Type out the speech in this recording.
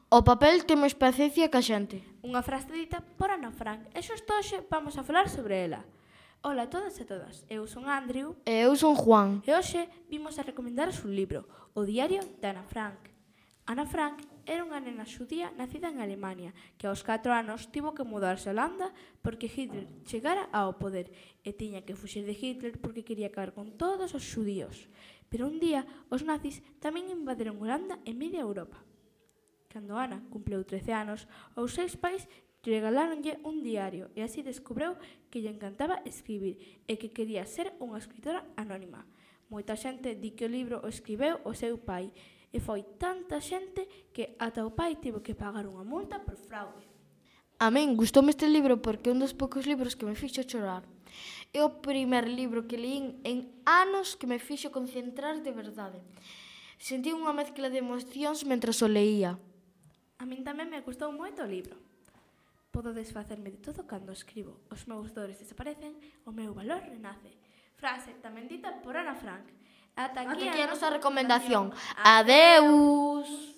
O papel ten máis paciencia que a xente. Unha frase dita por Ana Frank, e xusto hoxe vamos a falar sobre ela. Ola a todas e todas, eu son Andrew. E eu son Juan. E hoxe vimos a recomendaros un libro, O diario de Ana Frank. Ana Frank era unha nena xudía nacida en Alemania que aos 4 anos tivo que mudarse a Holanda porque Hitler chegara ao poder e tiña que fuxir de Hitler porque quería acabar con todos os xudíos. Pero un día os nazis tamén invadiron Holanda e media Europa. Cando Ana cumpleu 13 anos, os seus pais regaláronlle un diario e así descubreu que lle encantaba escribir e que quería ser unha escritora anónima. Moita xente di que o libro o escribeu o seu pai e foi tanta xente que ata o pai tivo que pagar unha multa por fraude. A min gustoume este libro porque é un dos poucos libros que me fixo chorar. É o primer libro que leín en anos que me fixo concentrar de verdade. Sentí unha mezcla de emocións mentras o leía. A min tamén me gustou moito o libro. Podo desfacerme de todo cando escribo. Os meus dores desaparecen, o meu valor renace. Frase tamén dita por Ana Frank. Ata aquí a nosa recomendación. Adeus!